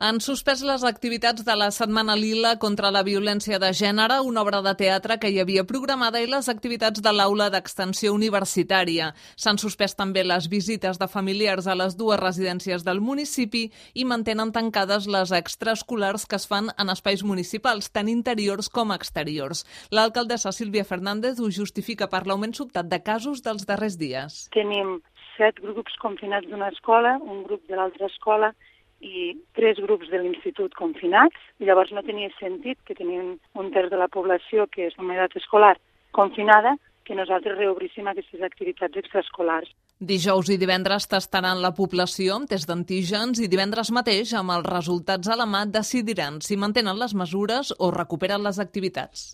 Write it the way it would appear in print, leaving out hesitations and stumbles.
Han suspès les activitats de la Setmana Lila contra la violència de gènere, una obra de teatre que hi havia programada, i les activitats de l'aula d'extensió universitària. S'han suspès també les visites de familiars a les dues residències del municipi i mantenen tancades les extraescolars que es fan en espais municipals, tant interiors com exteriors. L'alcaldessa Sílvia Fernández ho justifica per l'augment sobtat de casos dels darrers dies. Tenim 7 grups confinats d'una escola, un grup de l'altra escola i 3 grups de l'institut confinats. Llavors no tenia sentit que tenien un terç de la població que és en edat escolar confinada, que nosaltres reobríssim aquestes activitats extraescolars. Dijous i divendres tastaran la població amb test d'antígens i divendres mateix, amb els resultats a la mà, decidiran si mantenen les mesures o recuperen les activitats.